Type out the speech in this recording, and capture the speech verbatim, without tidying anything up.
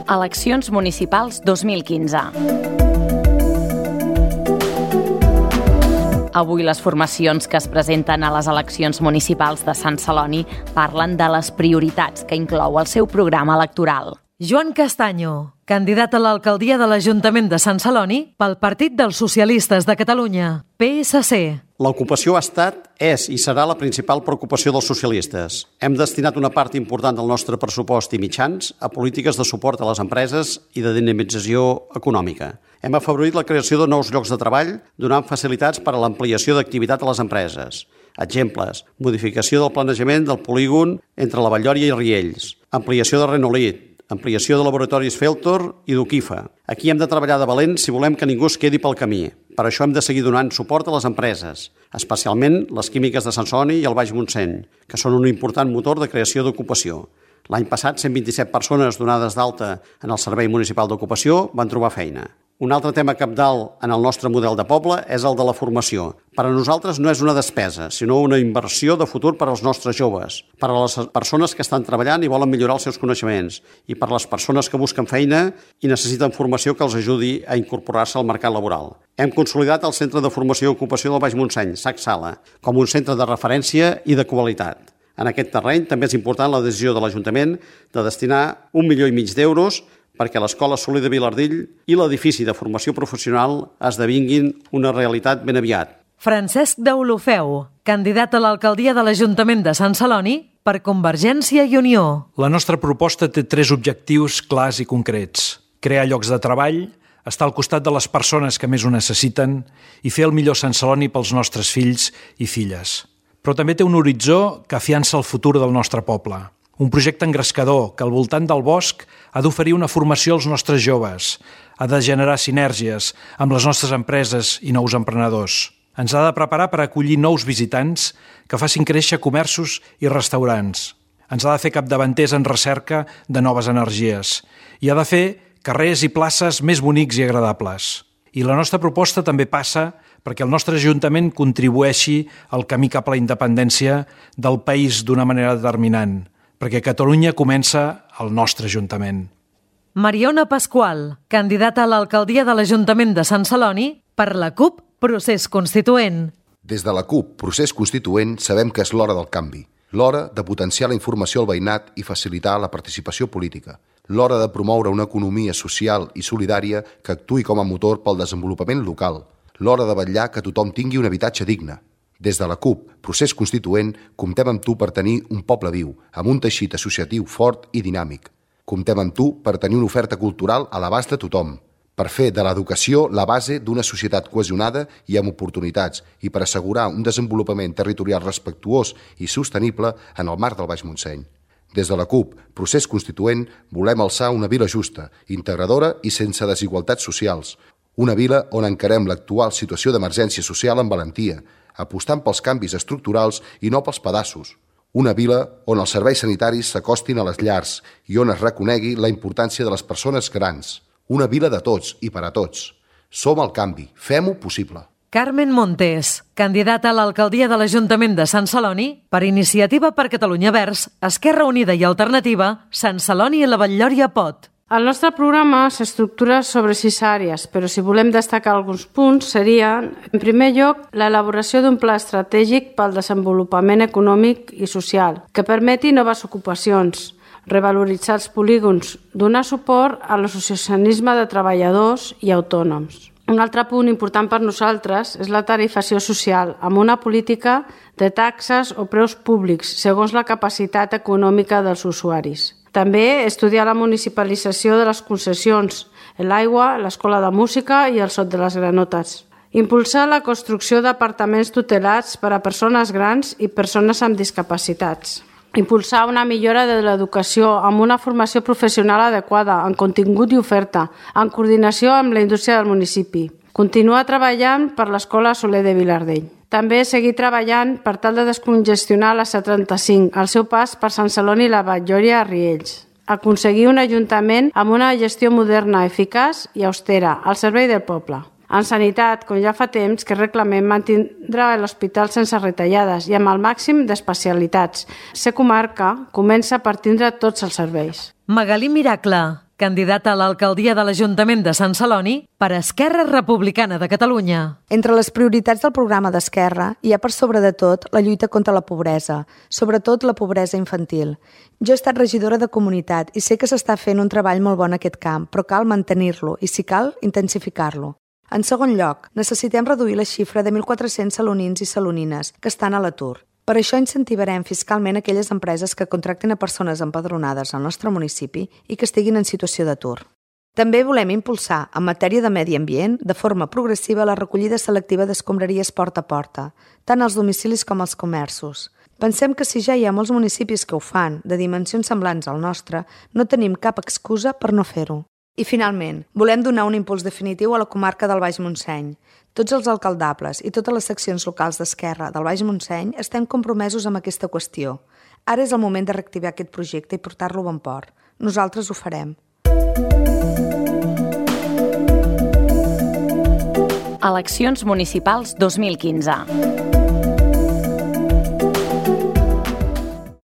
Eleccions municipals dos mil quinze. Avui les formacions que es presenten a les eleccions municipals de Sant Celoni parlen de les prioritats que inclou el seu programa electoral. Joan Castaño, candidat a l'alcaldia de l'Ajuntament de Sant Celoni pel Partit dels Socialistes de Catalunya, P S C. L'ocupació ha estat, és i serà la principal preocupació dels socialistes. Hem destinat una part important del nostre pressupost i mitjans a polítiques de suport a les empreses i de dinamització econòmica. Hem afavorit la creació de nous llocs de treball, donant facilitats per a l'ampliació d'activitat a les empreses. Exemples: modificació del planejament del polígon entre la Vall-lloria i Riells, ampliació de Renolit, ampliació de laboratoris Feltor i d'Uquifa. Aquí hem de treballar de valent si volem que ningú es quedi pel camí. Per això hem de seguir donant suport a les empreses, especialment les químiques de Sant Celoni i el Baix Montseny, que són un important motor de creació d'ocupació. L'any passat, cent vint-i-set persones donades d'alta en el Servei Municipal d'Ocupació van trobar feina. Un altre tema cabdal en el nostre model de poble és el de la formació. Per a nosaltres no és una despesa, sinó una inversió de futur per als nostres joves, per a les persones que estan treballant i volen millorar els seus coneixements, i per a les persones que busquen feina i necessiten formació que els ajudi a incorporar-se al mercat laboral. Hem consolidat el Centre de Formació i Ocupació del Baix Montseny, S A C Sala, com un centre de referència i de qualitat. En aquest terreny també és important la decisió de l'Ajuntament de destinar un milió i mig d'euros perquè l'Escola Soler de Vilardell i l'edifici de formació professional esdevinguin una realitat ben aviat. Francesc Deulofeu, candidat a l'alcaldia de l'Ajuntament de Sant Celoni per Convergència i Unió. La nostra proposta té tres objectius clars i concrets: crear llocs de treball, estar al costat de les persones que més ho necessiten i fer el millor Sant Celoni pels nostres fills i filles. Però també té un horitzó que afiança el futur del nostre poble. Un projecte engrescador que al voltant del bosc ha d'oferir una formació als nostres joves, ha de generar sinergies amb les nostres empreses i nous emprenedors. Ens ha de preparar per acollir nous visitants que facin créixer comerços i restaurants. Ens ha de fer capdavanters en recerca de noves energies i ha de fer carrers i places més bonics i agradables. I la nostra proposta també passa perquè el nostre Ajuntament contribueixi al camí cap a la independència del país d'una manera determinant, perquè Catalunya comença al nostre Ajuntament. Mariona Pasqual, candidata a l'alcaldia de l'Ajuntament de Sant Celoni per la CUP Procés Constituent. Des de la CUP Procés Constituent sabem que és l'hora del canvi, l'hora de potenciar la informació al veïnat i facilitar la participació política, l'hora de promoure una economia social i solidària que actuï com a motor pel desenvolupament local, l'hora de vetllar que tothom tingui un habitatge digne. Des de la CUP Procés Constituent comptem amb tu per tenir un poble viu, amb un teixit associatiu fort i dinàmic. Comptem amb tu per tenir una oferta cultural a l'abast de tothom, per fer de l'educació la base d'una societat cohesionada i amb oportunitats i per assegurar un desenvolupament territorial respectuós i sostenible en el marc del Baix Montseny. Des de la CUP Procés Constituent volem alçar una vila justa, integradora i sense desigualtats socials, una vila on encarem l'actual situació d'emergència social amb valentia, apostant pels canvis estructurals i no pels pedaços. Una vila on els serveis sanitaris s'acostin a les llars i on es reconegui la importància de les persones grans. Una vila de tots i per a tots. Som el canvi. Fem-ho possible. Carmen Montes, candidata a l'alcaldia de l'Ajuntament de Sant Celoni per Iniciativa per Catalunya Verds, Esquerra Unida i Alternativa, Sant Celoni i la Vall-lloria pot. El nostre programa s'estructura sobre sis àrees, però si volem destacar alguns punts serien, en primer lloc, l'elaboració d'un pla estratègic pel desenvolupament econòmic i social, que permeti noves ocupacions, revaloritzar els polígons, donar suport a l'associacionisme de treballadors i autònoms. Un altre punt important per nosaltres és la tarifació social, amb una política de taxes o preus públics, segons la capacitat econòmica dels usuaris. També estudiar la municipalització de les concessions, l'aigua, l'escola de música i el sot de les granotes. Impulsar la construcció d'apartaments tutelats per a persones grans i persones amb discapacitats. Impulsar una millora de l'educació amb una formació professional adequada, en contingut i oferta, en coordinació amb la indústria del municipi. Continuar treballant per l'Escola Soler de Vilardell. També seguir treballant per tal de descongestionar la C trenta-cinc, al seu pas per Sant Celoni i la Vall-lloria a Riells. Aconseguir un ajuntament amb una gestió moderna, eficaç i austera, al servei del poble. En sanitat, com ja fa temps que reclamem, mantindrà l'hospital sense retallades i amb el màxim d'especialitats. Ser comarca comença per tindre tots els serveis. Magalí Miracle, candidata a l'alcaldia de l'Ajuntament de Sant Celoni per Esquerra Republicana de Catalunya. Entre les prioritats del programa d'Esquerra hi ha per sobre de tot la lluita contra la pobresa, sobretot la pobresa infantil. Jo he estat regidora de comunitat i sé que s'està fent un treball molt bon en aquest camp, però cal mantenir-lo i, si cal, intensificar-lo. En segon lloc, necessitem reduir la xifra de mil quatre-cents salonins i salonines que estan a l'atur. Per això incentivarem fiscalment aquelles empreses que contracten a persones empadronades al nostre municipi i que estiguin en situació d'atur. També volem impulsar, en matèria de medi ambient, de forma progressiva la recollida selectiva d'escombraries porta a porta, tant als domicilis com als comerços. Pensem que si ja hi ha molts municipis que ho fan, de dimensions semblants al nostre, no tenim cap excusa per no fer-ho. I finalment, volem donar un impuls definitiu a la comarca del Baix Montseny. Tots els alcaldables i totes les seccions locals d'Esquerra del Baix Montseny estem compromesos amb aquesta qüestió. Ara és el moment de reactivar aquest projecte i portar-lo a bon port. Nosaltres ho farem. Eleccions municipals dos mil quinze.